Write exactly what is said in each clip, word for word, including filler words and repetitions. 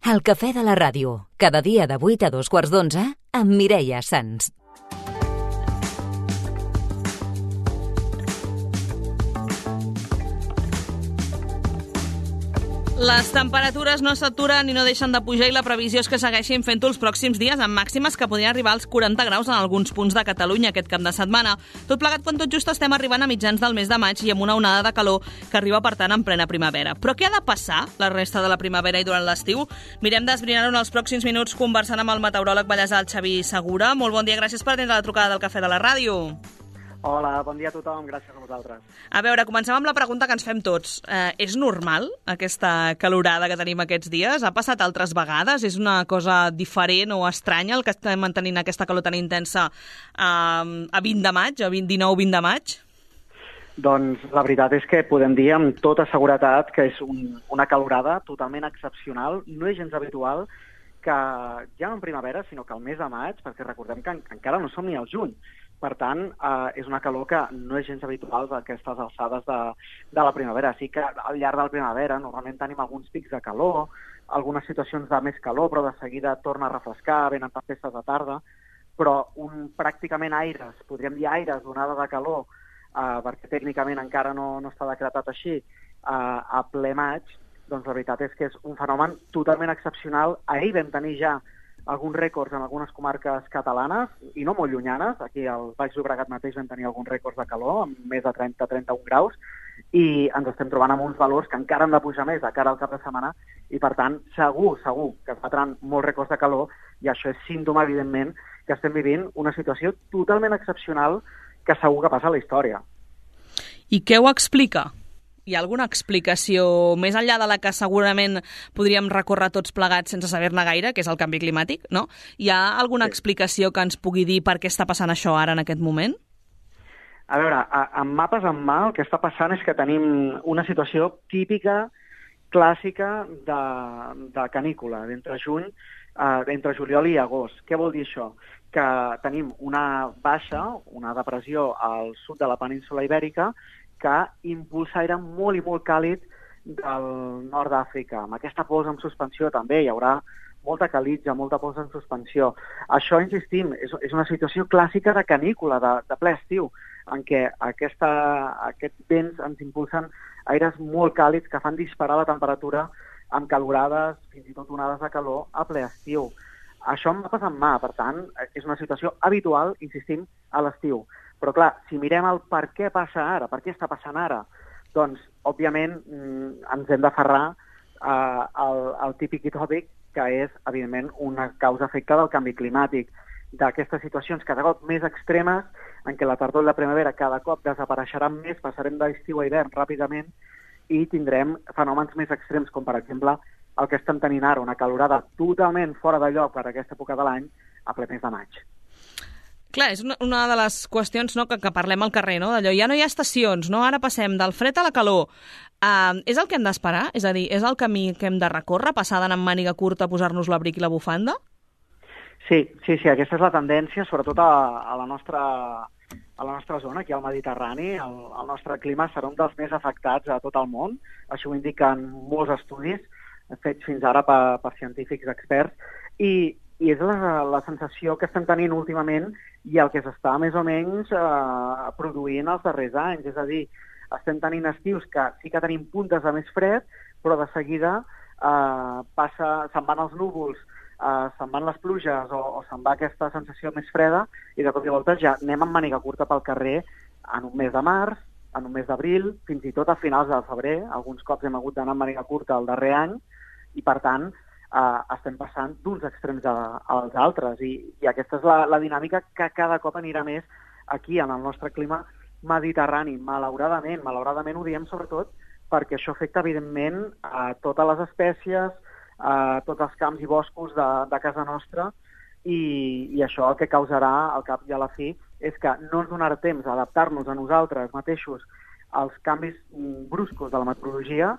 El cafè de la ràdio, cada dia de vuit a dos quarts d'onze, amb Mireia Sans. Les temperatures no s'aturen i no deixen de pujar i la previsió és que segueixin fent-ho els pròxims dies amb màximes que podrien arribar als quaranta graus en alguns punts de Catalunya aquest cap de setmana. Tot plegat quan tot just estem arribant a mitjans del mes de maig i amb una onada de calor que arriba, per tant, en plena primavera. Però què ha de passar la resta de la primavera i durant l'estiu? Mirem d'esbrinar-ho en els pròxims minuts conversant amb el meteoròleg ballesà, el Xavi Segura. Molt bon dia, gràcies per atendre la trucada del Cafè de la Ràdio. Hola, bon dia a tothom, gràcies a vosaltres. A veure, comencem amb la pregunta que ens fem tots. Eh, és normal aquesta calorada que tenim aquests dies? Ha passat altres vegades? És una cosa diferent o estranya el que estem mantenint aquesta calor tan intensa eh, a vint de maig, a dinou vint de maig? Doncs la veritat és que podem dir amb tota seguretat que és un, una calorada totalment excepcional, no és gens habitual que ja no en primavera, sinó que al mes de maig, perquè recordem que en, encara no som ni al juny. Per tant, eh, és una calor que no és gens habitual a aquestes alçades de, de la primavera. Sí que al llarg de la primavera normalment tenim alguns pics de calor, algunes situacions de més calor, però de seguida torna a refrescar, venen tempestes de tarda, però un pràcticament aires, podríem dir aires d'onada de calor, eh, perquè tècnicament encara no, no està decretat així, eh, a ple maig, doncs la veritat és que és un fenomen totalment excepcional. Ahir vam tenir ja alguns rècords en algunes comarques catalanes, i no molt llunyanes. Aquí al Baix Llobregat mateix vam tenir alguns rècords de calor, amb més de trenta a trenta-un graus, i ens estem trobant amb uns valors que encara han de pujar més de cara al cap de setmana, i per tant, segur, segur que es batran molts rècords de calor, i això és símptoma, evidentment, que estem vivint una situació totalment excepcional que segur que passa a la història. I què ho explica? Hi ha alguna explicació, més enllà de la que segurament podríem recórrer tots plegats sense saber-ne gaire, que és el canvi climàtic, no? Hi ha alguna sí. explicació que ens pugui dir per què està passant això ara en aquest moment? A veure, amb mapes en mà el que està passant és que tenim una situació típica, clàssica de, de canícula, d'entre juny, eh, entre juliol i agost. Què vol dir això? Que tenim una baixa, una depressió al sud de la península Ibèrica, que impulsa aire molt i molt càlid del nord d'Àfrica. Amb aquesta pols en suspensió també hi haurà molta calitja, molta pols en suspensió. Això, insistim, és, és una situació clàssica de canícula, de, de ple estiu, en què aquesta, aquests vents ens impulsen aires molt càlids que fan disparar la temperatura amb calorades, fins i tot onades de calor, a ple estiu. Això em va passar en mà, per tant, és una situació habitual, insistim, a l'estiu. Però, clar, si mirem el per què passa ara, per què està passant ara, doncs, òbviament, ens hem d'aferrar eh, al, al típic i tòpic, que és, evidentment, una causa-efecte del canvi climàtic, d'aquestes situacions cada cop més extremes, en què la tardor i la primavera cada cop desapareixeran més, passarem d'estiu a hivern ràpidament, i tindrem fenòmens més extrems, com, per exemple, el que estem tenint ara, una calorada totalment fora de lloc per a aquesta època de l'any, a ple mes de maig. Clar, és una, una de les qüestions, no, que, que parlem al carrer, no? D'allò, ja no hi ha estacions, no? Ara passem del fred a la calor. Uh, és el que hem d'esperar? És a dir, és el camí que hem de recórrer, passar d'anar amb màniga curta, posar-nos l'abric i la bufanda? Sí, sí, sí, aquesta és la tendència, sobretot a, a, la, nostra, a la nostra zona, aquí al Mediterrani. El, el nostre clima serà un dels més afectats a tot el món. Això ho indiquen molts estudis fets fins ara per, per científics experts, i I és la, la sensació que estem tenint últimament i el que s'està més o menys eh, produint els darrers anys. És a dir, estem tenint estius que sí que tenim puntes de més fred, però de seguida eh, passa, se'n van els núvols, eh, se'n van les pluges o, o se'n va aquesta sensació més freda i de cop i volta ja anem amb màniga curta pel carrer en un mes de març, en un mes d'abril, fins i tot a finals de febrer. Alguns cops hem hagut d'anar amb màniga curta el darrer any i, per tant, Uh, estem passant d'uns extrems a, als altres i, i aquesta és la, la dinàmica que cada cop anirà més aquí en el nostre clima mediterrani, malauradament. Malauradament ho diem sobretot perquè això afecta evidentment a totes les espècies, a tots els camps i boscos de, de casa nostra i, i això el que causarà al cap i a la fi és que no ens donarà temps a adaptar-nos a nosaltres mateixos als canvis bruscos de la meteorologia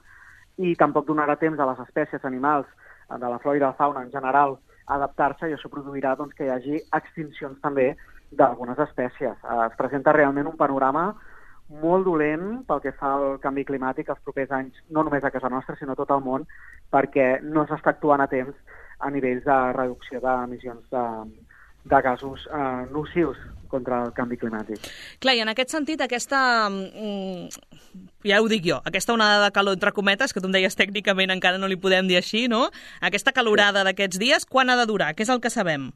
i tampoc donarà temps a les espècies animals de la flora i de la fauna en general a adaptar-se i això produirà doncs, que hi hagi extincions també d'algunes espècies. Es presenta realment un panorama molt dolent pel que fa al canvi climàtic els propers anys, no només a casa nostra, sinó a tot el món, perquè no s'està actuant a temps a nivells de reducció d'emissions de, de gasos eh, nocius contra el canvi climàtic. Clar, i en aquest sentit, aquesta, ja ho dic jo, aquesta onada de calor, entre cometes, que tu em deies tècnicament encara no li podem dir així, no? Aquesta calorada sí. d'aquests dies, quan ha de durar? Què és el que sabem?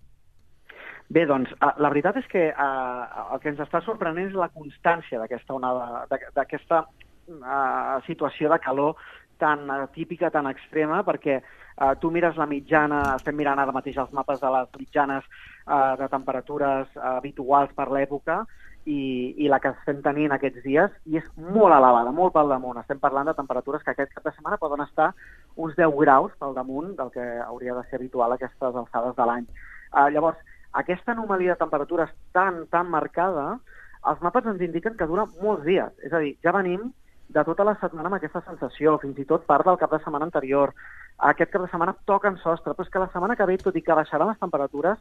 Bé, doncs, la veritat és que uh, el que ens està sorprenent és la constància d'aquesta onada, d'aquesta uh, situació de calor tan atípica, tan extrema, perquè uh, tu mires la mitjana, estem mirant ara mateix els mapes de les mitjanes uh, de temperatures uh, habituals per l'època, i, i la que estem tenint aquests dies, i és molt elevada, molt pel damunt. Estem parlant de temperatures que aquest cap de setmana poden estar uns deu graus pel damunt del que hauria de ser habitual a aquestes alçades de l'any. Uh, llavors, aquesta anomalia de temperatures tan, tan marcada, els mapes ens indiquen que dura molts dies. És a dir, ja venim de tota la setmana amb aquesta sensació, fins i tot part del cap de setmana anterior. Aquest cap de setmana toquen sostre, però és que la setmana que ve, tot i que baixaran les temperatures,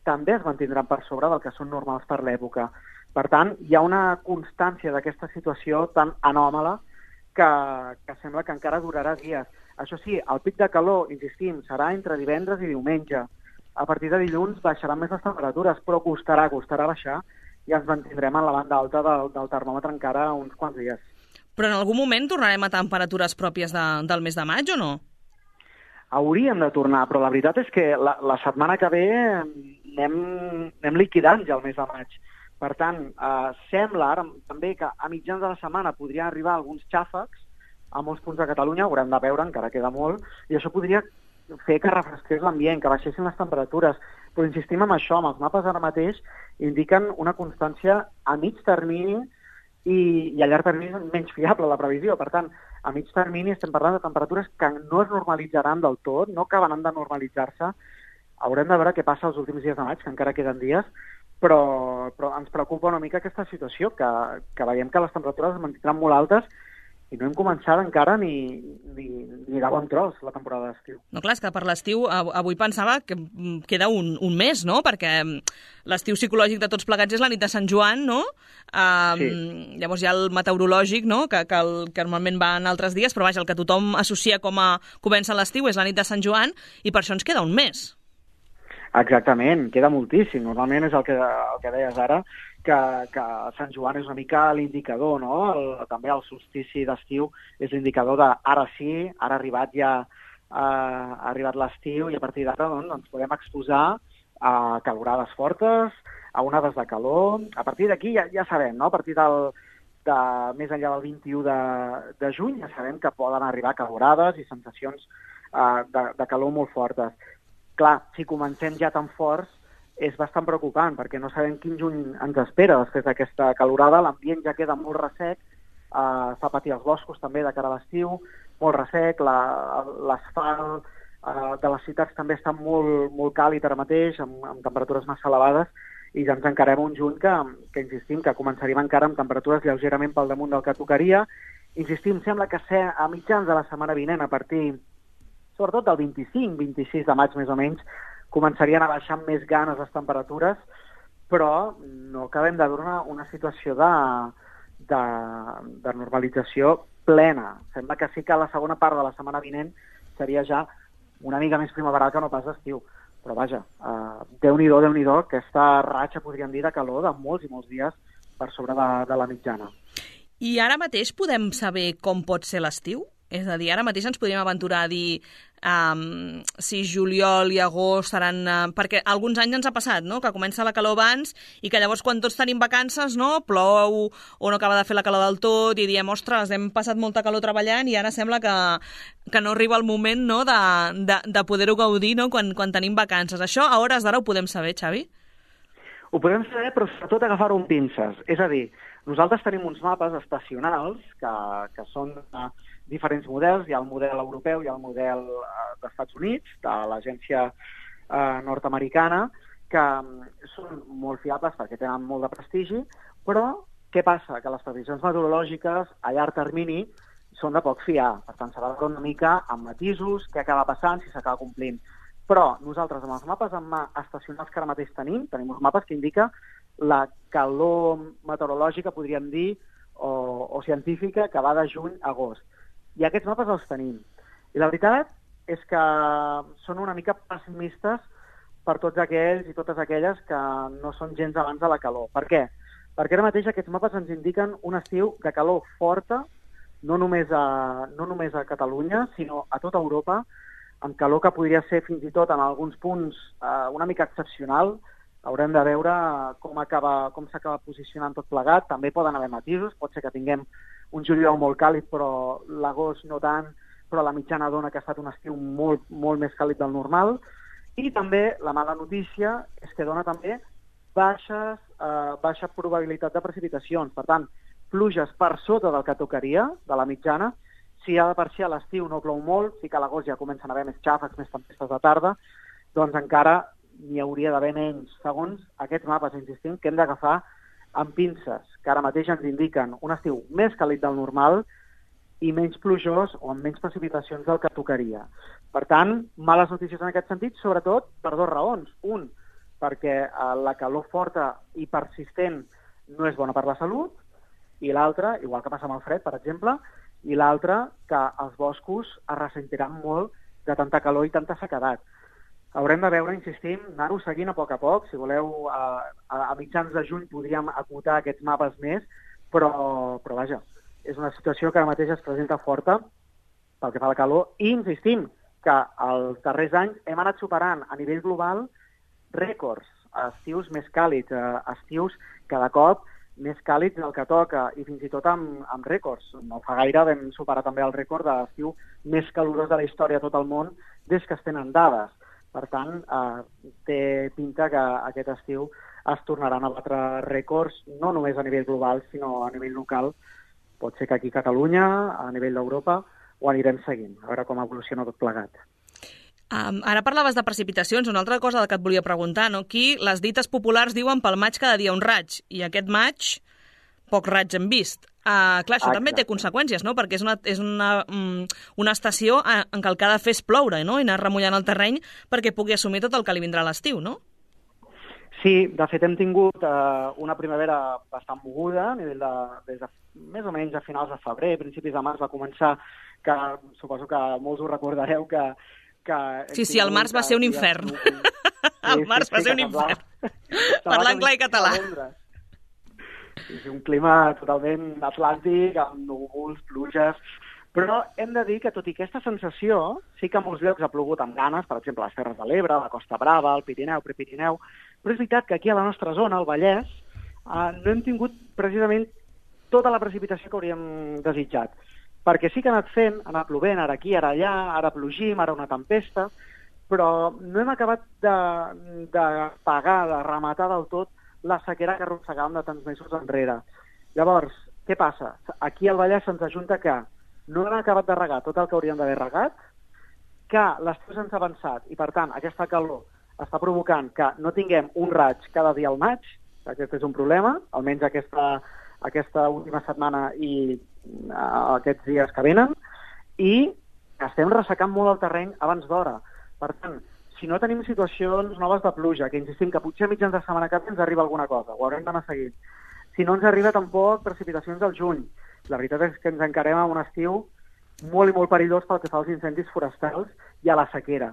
també es mantindran per sobre del que són normals per l'època. Per tant, hi ha una constància d'aquesta situació tan anòmala que, que sembla que encara durarà dies. Això sí, el pic de calor, insistim, serà entre divendres i diumenge. A partir de dilluns baixaran més les temperatures, però costarà, costarà baixar, i ens mantindrem en la banda alta del, del termòmetre encara uns quants dies. Però en algun moment tornarem a temperatures pròpies de, del mes de maig o no? Hauríem de tornar, però la veritat és que la, la setmana que ve anem, anem liquidant ja el mes de maig. Per tant, eh, sembla ara també que a mitjans de la setmana podrien arribar alguns xàfecs a molts punts de Catalunya, haurem de veure, encara queda molt, i això podria fer que refresqués l'ambient, que baixessin les temperatures. Però insistim en això, amb els mapes ara mateix indiquen una constància a mig termini i, i a llarg termini és menys fiable la previsió. Per tant, a mig termini estem parlant de temperatures que no es normalitzaran del tot, no acabaran de normalitzar-se. Haurem de veure què passa els últims dies de maig, que encara queden dies, però, però ens preocupa una mica aquesta situació, que, que veiem que les temperatures es mantindran molt altes i no hem començat encara ni, ni, ni de bon tros la temporada d'estiu. No, clar, és que per l'estiu avui pensava que queda un, un mes, no? Perquè l'estiu psicològic de tots plegats és la nit de Sant Joan, no? Um, sí. Llavors hi ha el meteorològic, no? Que, que, el, que normalment va en altres dies, però vaja, el que tothom associa com a comença l'estiu és la nit de Sant Joan, i per això ens queda un mes. Exactament, queda moltíssim. Normalment és el que, el que deies ara, que, que Sant Joan és una mica l'indicador, no? El, també el solstici d'estiu és l'indicador de ara sí, ara ha arribat ja uh, ha arribat l'estiu, i a partir d'ara doncs, ens podem exposar a calorades fortes, a onades de calor. A partir d'aquí ja, ja sabem, no? A partir del, de, més enllà del vint-i-u de, de juny ja sabem que poden arribar calorades i sensacions uh, de, de calor molt fortes. Clar, si comencem ja tan forts, és bastant preocupant, perquè no sabem quin juny ens espera després d'aquesta calorada. L'ambient ja queda molt ressec, eh, fa patir els boscos també de cara a l'estiu, molt ressec, l'asfalt eh, de les ciutats també està molt, molt càlid ara mateix, amb, amb temperatures massa elevades, i ja ens encarem un juny que, que insistim, que començaríem encara amb temperatures lleugerament pel damunt del que tocaria. Insistim, sembla que ser a mitjans de la setmana vinent, a partir sobretot del vint-i-cinc vint-i-sis de maig més o menys, començarien a baixar amb més ganes les temperatures, però no acabem de veure una, una situació de, de, de normalització plena. Sembla que sí que la segona part de la setmana vinent seria ja una mica més primaveral que no pas d'estiu. Però vaja, eh, Déu-n'hi-do, Déu-n'hi-do, aquesta ratxa, podríem dir, de calor de molts i molts dies per sobre de, de la mitjana. I ara mateix podem saber com pot ser l'estiu? És a dir, ara mateix ens podríem aventurar a dir um, si juliol i agost seran... Uh, perquè alguns anys ens ha passat, no?, que comença la calor abans i que llavors quan tots tenim vacances, no?, plou o no acaba de fer la calor del tot i diem, ostres, hem passat molta calor treballant i ara sembla que, que no arriba el moment, no?, de, de, de poder-ho gaudir, no?, quan, quan tenim vacances. Això a hores d'ara ho podem saber, Xavi? Ho podem saber, però sobretot agafar-ho amb pinces. És a dir, nosaltres tenim uns mapes estacionals que, que són... Uh, diferents models, hi ha el model europeu, hi ha el model eh, dels Estats Units, de l'agència eh, nord-americana, que um, són molt fiables perquè tenen molt de prestigi, però què passa? Que les previsions meteorològiques a llarg termini són de poc fiar, per tant s'ha de veure una mica amb matisos, què acaba passant, si s'acaba complint. Però nosaltres amb els mapes en mà estacionals que ara mateix tenim, tenim uns mapes que indica la calor meteorològica, podríem dir, o, o científica que va de juny a agost. I aquests mapes els tenim. I la veritat és que són una mica pessimistes per tots aquells i totes aquelles que no són gens abans de la calor. Per què? Perquè ara mateix aquests mapes ens indiquen un estiu de calor forta, no només a, no només a Catalunya, sinó a tota Europa, amb calor que podria ser fins i tot en alguns punts eh, una mica excepcional. Haurem de veure com acaba, com s'acaba posicionant tot plegat. També poden haver matisos, pot ser que tinguem un juliol molt càlid, però l'agost no tant, però la mitjana dona que ha estat un estiu molt, molt més càlid del normal. I també la mala notícia és que dona també baixes, eh, baixa probabilitat de precipitacions. Per tant, pluges per sota del que tocaria, de la mitjana. Si ja de per si a l'estiu no plou molt, sí que a l'agost ja comencen a haver més xàfecs, més tempestes de tarda, doncs encara n'hi hauria d'haver menys. Segons aquests mapes, insistim, que hem d'agafar amb pinces, que ara mateix ens indiquen un estiu més càlid del normal i menys plujós o amb menys precipitacions del que tocaria. Per tant, males notícies en aquest sentit, sobretot per dues raons. Un, perquè la calor forta i persistent no és bona per la salut, i l'altra, igual que passa amb el fred, per exemple, i l'altra, que els boscos es ressentiran molt de tanta calor i tanta sequedat. Haurem de veure, insistim, anar-ho seguint a poc a poc. Si voleu, a, a mitjans de juny podríem acotar aquests mapes més, però, però vaja, és una situació que ara mateix es presenta forta pel que fa a la calor, i insistim que els darrers anys hem anat superant a nivell global rècords, estius més càlids, estius cada cop més càlids del que toca, i fins i tot amb, amb rècords. No fa gaire vam superar també el rècord de l'estiu més calorós de la història a tot el món des que es tenen dades. Per tant, eh, té pinta que aquest estiu es tornaran a batre rècords, no només a nivell global, sinó a nivell local. Pot ser que aquí a Catalunya, a nivell d'Europa, ho anirem seguint, a veure com evoluciona tot plegat. Um, ara parlaves de precipitacions, una altra cosa que et volia preguntar, no? Aquí les dites populars diuen pel maig cada dia un raig, i aquest maig poc raig hem vist. Uh, clar, això Exacte. També té conseqüències, no? Perquè és una, és una, um, una estació en què el que ha de fer és ploure, no? I anar remullant el terreny perquè pugui assumir tot el que li vindrà a l'estiu, no? Sí, de fet hem tingut uh, una primavera bastant moguda, a nivell de, des de més o menys a finals de febrer, principis de març va començar, que suposo que molts ho recordareu, que que sí, sí, el març va ser un infern. El març va ser un infern. Parlant clar i català. És un clima totalment atlàntic, amb núvols, pluges, però hem de dir que tot i aquesta sensació, sí que a molts llocs ha plogut amb ganes, per exemple, a les Terres de l'Ebre, la Costa Brava, el Pirineu, Prepirineu, però és veritat que aquí a la nostra zona, al Vallès, eh, no hem tingut precisament tota la precipitació que hauríem desitjat. Perquè sí que ha anat fent, ha anat plovent, ara aquí, ara allà, ara plogim, ara una tempesta, però no hem acabat de, de pagar, de rematar del tot la sequera que arrossegàvem de tants mesos enrere. Llavors, què passa? Aquí al Vallès se'ns ajunta que no hem acabat de regar tot el que hauríem d'haver regat, que l'estiu se'ns ha avançat i, per tant, aquesta calor està provocant que no tinguem un raig cada dia al maig, aquest és un problema, almenys aquesta, aquesta última setmana i uh, aquests dies que venen, i estem ressecant molt el terreny abans d'hora. Per tant, si no tenim situacions noves de pluja, que insistim que potser a mitjans de setmana que ens arriba alguna cosa, ho haurem d'anar seguint. Si no ens arriba tampoc precipitacions al juny. La veritat és que ens encarem a un estiu molt i molt perillós pel que fa als incendis forestals i a la sequera.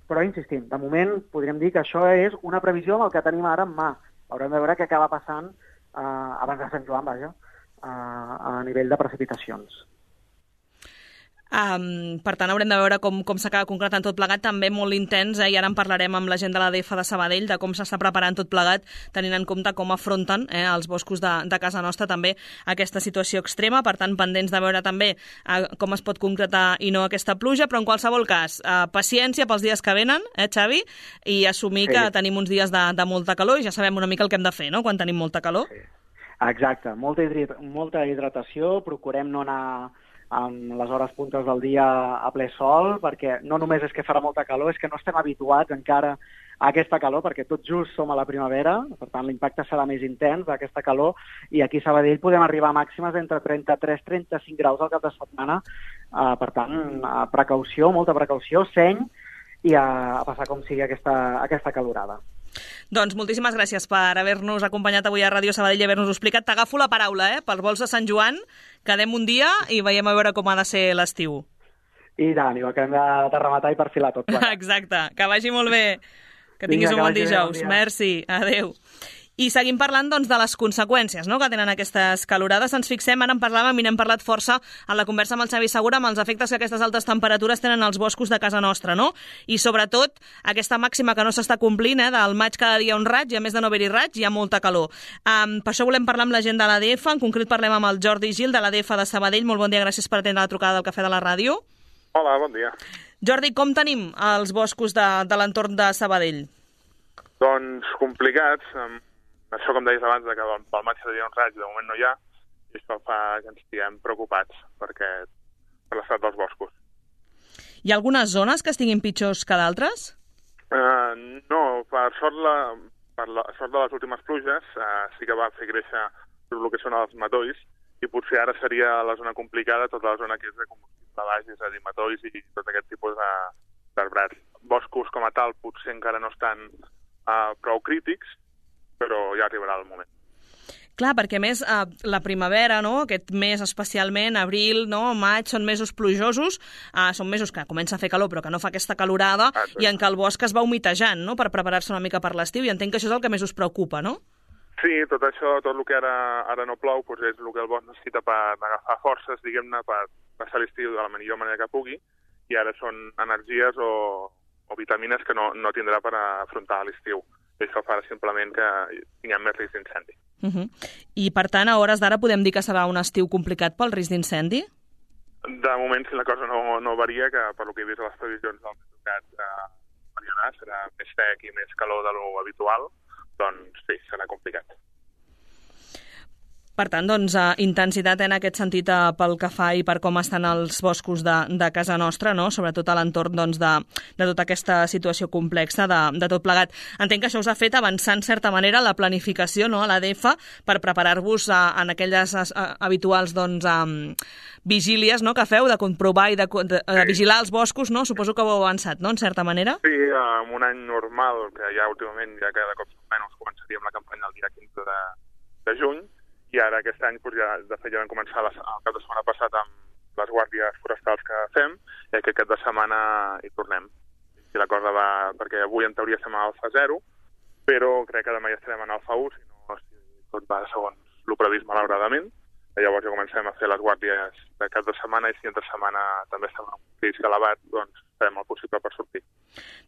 Però, insistim, de moment podríem dir que això és una previsió amb el que tenim ara en mà. Haurem de veure què acaba passant eh, abans de Sant Joan, vaja, eh, a nivell de precipitacions. Um, per tant, haurem de veure com, com s'acaba concretant tot plegat, també molt intens, eh? I ara en parlarem amb la gent de l'A D F de Sabadell de com s'està preparant tot plegat, tenint en compte com afronten eh, els boscos de, de casa nostra també aquesta situació extrema. Per tant, pendents de veure també eh, com es pot concretar i no aquesta pluja, però en qualsevol cas, eh, paciència pels dies que venen, eh, Xavi, i assumir sí. que tenim uns dies de, de molta calor i ja sabem una mica el que hem de fer, no?, quan tenim molta calor. Sí. Exacte, molta, hidrat molta hidratació, procurem no anar en les hores puntes del dia a ple sol, perquè no només és que farà molta calor, és que no estem habituats encara a aquesta calor, perquè tot just som a la primavera, per tant l'impacte serà més intens d'aquesta calor, i aquí a Sabadell podem arribar a màximes d'entre trenta-tres i trenta-cinc graus al cap de setmana, uh, per tant, uh, precaució, molta precaució, seny, i a, a passar com sigui aquesta, aquesta calorada. Doncs moltíssimes gràcies per haver-nos acompanyat avui a Ràdio Sabadell i haver-nos explicat. T'agafo la paraula, eh? Per vols de Sant Joan, quedem un dia i veiem a veure com ha de ser l'estiu. I tant, i ho acabem de, de rematar i perfilar tot. Clar. Exacte, que vagi molt bé. Que tinguis Vinga, un bon que vagi bé, dijous. bon dia. Merci, adeu. I seguim parlant doncs, de les conseqüències, no?, que tenen aquestes calorades. Ens fixem, ara en parlàvem i n'hem parlat força en la conversa amb el Xavi Segura, amb els efectes que aquestes altes temperatures tenen als boscos de casa nostra, no? I sobretot aquesta màxima que no s'està complint, eh, del maig cada dia un raig, i a més de no haver-hi raig, hi ha molta calor. Um, per això volem parlar amb la gent de l'A D F, en concret parlem amb el Jordi Gil de l'A D F de Sabadell. Molt bon dia, gràcies per atendre la trucada del Cafè de la Ràdio. Hola, bon dia. Jordi, com tenim els boscos de, de l'entorn de Sabadell? Doncs complicats. Això, com deies abans, que pel maig hi havia un raig, de moment no hi ha, i això fa que ens estiguem preocupats perquè, per l'estat dels boscos. Hi ha algunes zones que estiguin pitjors que d'altres? Uh, no, per sort, la, per la sort de les últimes pluges uh, sí que va fer créixer tot el que són els matolls, i potser ara seria la zona complicada, tota la zona que és de combustible baix, és a dir, matolls i tot aquest tipus d'arbrats. Boscos com a tal potser encara no estan uh, prou crítics, però ja arribarà el moment. Clar, perquè a més eh, la primavera, no?, aquest mes especialment, abril, no?, maig, són mesos plujosos, eh, són mesos que comença a fer calor però que no fa aquesta calorada, ah, i en què el bosc es va humitejant, no?, per preparar-se una mica per l'estiu, i entenc que això és el que més us preocupa, no? Sí, tot això, tot el que ara, ara no plou, doncs és el que el bosc necessita per agafar forces, diguem-ne, per passar l'estiu de la millor manera que pugui, i ara són energies o, o vitamines que no, no tindrà per afrontar l'estiu. I això farà simplement que tinguem més risc d'incendi. Uh -huh. I, per tant, a hores d'ara podem dir que serà un estiu complicat pel risc d'incendi? De moment, si la cosa no, no varia, que per lo que he vist a les previsions del Metrocat eh, variarà, serà més sec i més calor de lo habitual, doncs sí, serà complicat. Per tant, doncs, eh, intensitat en aquest sentit eh, pel que fa i per com estan els boscos de, de casa nostra, no?, sobretot a l'entorn doncs, de, de tota aquesta situació complexa de, de tot plegat. Entenc que això us ha fet avançar, en certa manera, la planificació, no?, a l'A D F per preparar-vos eh, en aquelles eh, habituals doncs, eh, vigílies, no?, que feu de comprovar i de, de, de vigilar els boscos, no? Suposo que ho heu avançat, no?, en certa manera? Sí, en un any normal, que ja últimament, ja cada cop menys, començaríem la campanya el dia quinze de, de juny, i ara aquest any, doncs, ja, de fet, ja vam començar les, el cap de setmana passat amb les guàrdies forestals que fem, i aquest cap de setmana hi tornem. Si la cosa va... perquè avui en teoria estem a alfa zero, però crec que demà ja estarem en alfa u, si no, si tot va segons el previst, malauradament. Llavors ja comencem a fer les guàrdies de cap de setmana, i si entre setmana també estem en un risc elevat, doncs farem el possible per sortir.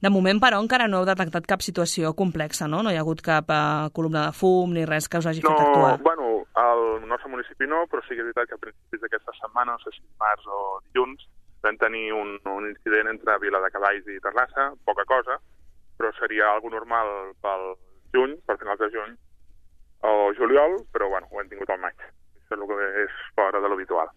De moment, però, encara no heu detectat cap situació complexa, no? No hi ha hagut cap uh, columna de fum ni res que us hagi no, fet actuar. Bueno, al nostre municipi no, però sí que és veritat que a principis d'aquesta setmana, no sé si març o dilluns, vam tenir un, un incident entre Vila de Cavalls i Terrassa, poca cosa, però seria algo normal pel juny, per finals de juny, o juliol, però bueno, ho hem tingut al maig. Això és el que és fora de l'habitual.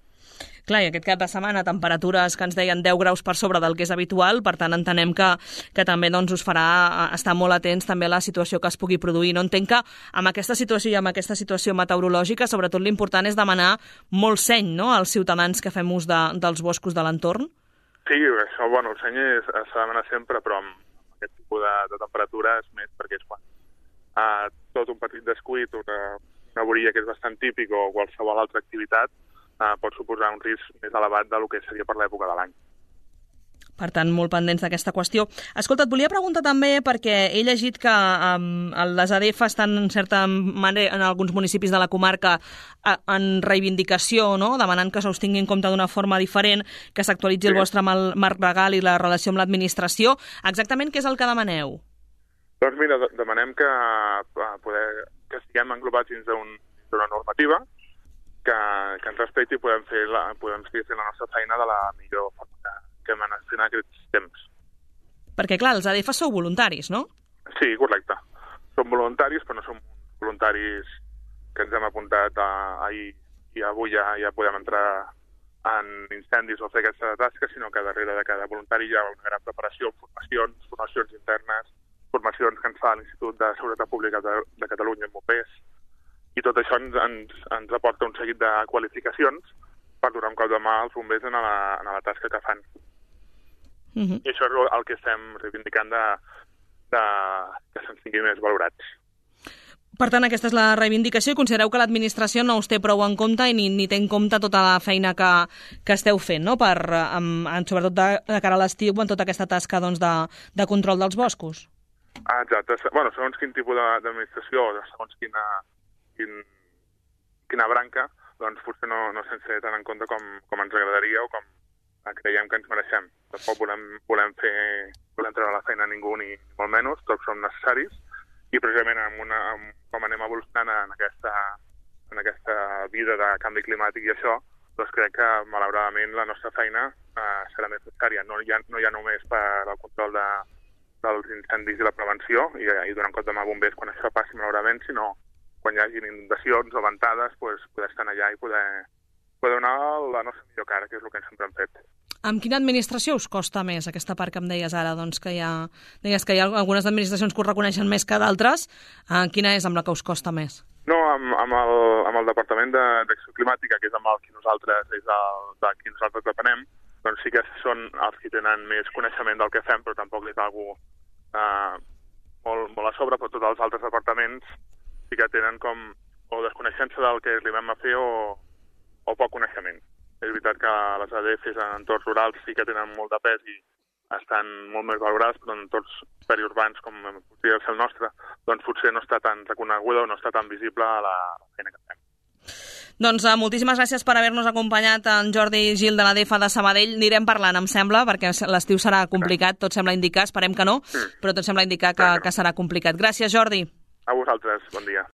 Clar, i aquest cap de setmana temperatures que ens deien deu graus per sobre del que és habitual, per tant entenem que, que també doncs, us farà estar molt atents també a la situació que es pugui produir. No entenc que amb aquesta situació i amb aquesta situació meteorològica, sobretot l'important és demanar molt seny, no?, als ciutadans que fem ús de, dels boscos de l'entorn. Sí, això, bueno, el seny s'ha de demanar sempre, però amb aquest tipus de, de temperatures més, perquè és quan uh, tot un petit descuit, una, una vorilla que és bastant típic o qualsevol altra activitat, Uh, pot suposar un risc més elevat del que seria per l'època de l'any. Per tant, molt pendents d'aquesta qüestió. Escolta, et volia preguntar també, perquè he llegit que um, les A D F estan en certa manera en alguns municipis de la comarca uh, en reivindicació, no?, demanant que se us tingui en compte d'una forma diferent, que s'actualitzi sí. el vostre marc legal i la relació amb l'administració. Exactament què és el que demaneu? Doncs mira, demanem que, uh, poder, que estiguem englobats dins d'una normativa, que, que ens respecti i podem, fer la, podem seguir fent la nostra feina de la millor forma que hem anat fent aquests temps. Perquè, clar, els A D F sou voluntaris, no? Sí, correcte. Som voluntaris, però no som voluntaris que ens hem apuntat a, ahir i avui ja, ja podem entrar en incendis o fer aquesta tasca, sinó que darrere de cada voluntari hi ha una gran preparació, formacions, formacions internes, formacions que ens fa l'Institut de Seguretat Pública de, de Catalunya, MOPES, i tot això ens, ens, ens aporta un seguit de qualificacions per donar un cop de mà als bombers en la, en la tasca que fan. Uh-huh. I això és el que estem reivindicant de, de, que se'ns tingui més valorats. Per tant, aquesta és la reivindicació i considereu que l'administració no us té prou en compte i ni, ni té en compte tota la feina que, que esteu fent, no? Per, amb, sobretot de, de cara a l'estiu, en tota aquesta tasca doncs, de, de control dels boscos. Ah, exacte. Bueno, segons quin tipus d'administració, segons quina, quin, quina branca, doncs potser no, no se'ns té tant en compte com, com ens agradaria o com creiem que ens mereixem. Tampoc volem, volem, fer, volem treure la feina a ningú ni molt menys, tots som necessaris, i precisament amb una, amb, com anem evolucionant en aquesta, en aquesta vida de canvi climàtic i això, doncs crec que malauradament la nostra feina eh, serà més necessària. No hi ha, no hi ha només per al control de, dels incendis i la prevenció i, i donar compte amb bombers quan això passi malauradament, sinó quan hi hagi inundacions o ventades, pues, poder estar allà i poder, poder donar la nostra millor cara, que és el que sempre hem fet. Amb quina administració us costa més aquesta part que em deies ara? Doncs que hi ha, deies que hi ha algunes administracions que us reconeixen més que d'altres. Eh, quina és amb la que us costa més? No, amb, amb, el, amb el Departament d'Acció Climàtica, que és amb el que nosaltres, és el, de qui nosaltres depenem, doncs sí que són els que tenen més coneixement del que fem, però tampoc és algú eh, molt, molt a sobre, però tots els altres departaments sí que tenen com o desconeixença del que li vam a fer o, o poc coneixement. És veritat que les A D Fs en entorns rurals sí que tenen molt de pes i estan molt més valorades, però en entorns periurbans, com podria ser el nostre, doncs potser no està tan reconeguda o no està tan visible la feina que fem. Doncs uh, moltíssimes gràcies per haver-nos acompanyat en Jordi Gil de l'A D F de Sabadell. Anirem parlant, em sembla, perquè l'estiu serà complicat, tot sembla indicar, esperem que no, però tot sembla indicar que, que serà complicat. Gràcies, Jordi. A vosaltres, bon dia.